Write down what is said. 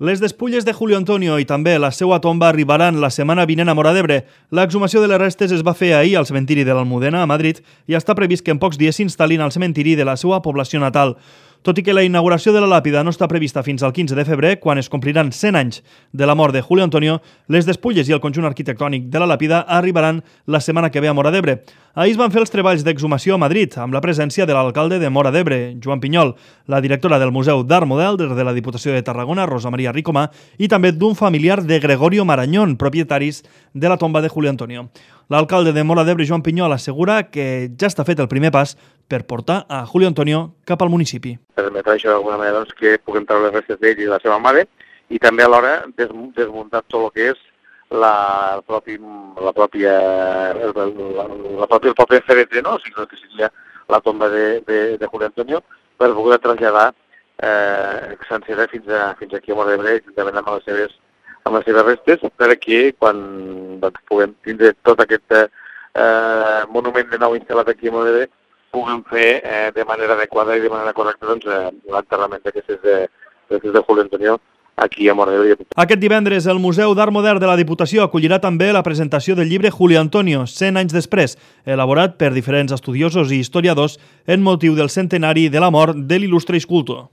Les despulles de Julio Antonio i també la seva tomba arribaran la setmana vinent a Móra d'Ebre. L'exhumació de les restes es va fer ahir al cementiri de l'Almudena, a Madrid, i està previst que en pocs dies s'instal·lin al cementiri de la seva població natal. Tot i que la inauguració de la làpida no està prevista fins al 15 de febrer, quan es compliran 100 anys de la mort de Julio Antonio, les despulles i el conjunt arquitectònic de la làpida arribaran la setmana que ve a Móra d'Ebre. Ahir es van fer els treballs d'exhumació a Madrid, amb la presència de l'alcalde de Móra d'Ebre, Joan Pinyol, la directora del Museu d'Art Model de la Diputació de Tarragona, Rosa Maria Ricomà, i també d'un familiar de Gregorio Marañón, propietaris de la tomba de Julio Antonio. L'alcalde de Móra d'Ebre, Joan Pinyol, assegura que ja està fet el primer pas per portar a Julio Antonio cap al municipi. Permetrà això d'alguna manera que puguem treure les restes d'ell i de la seva mare i també alhora desmuntar tot el que és el propi ferete, no? O sigui, que seria la tomba de Julio Antonio, per poder traslladar sencera fins aquí a Móra d'Ebre, juntament amb les seves restes, perquè quan puguem tindre tot aquest monument de nou instal·lat aquí a Móra d'Ebre, puguem fer de manera adequada i de manera correcta l'enterrament d'aquestes de Julio Antonio aquí a Móra d'Ebre. Aquest divendres el Museu d'Art Modern de la Diputació acollirà també la presentació del llibre Julio Antonio, 100 anys després, elaborat per diferents estudiosos i historiadors en motiu del centenari de la mort de l'il·lustre escultor.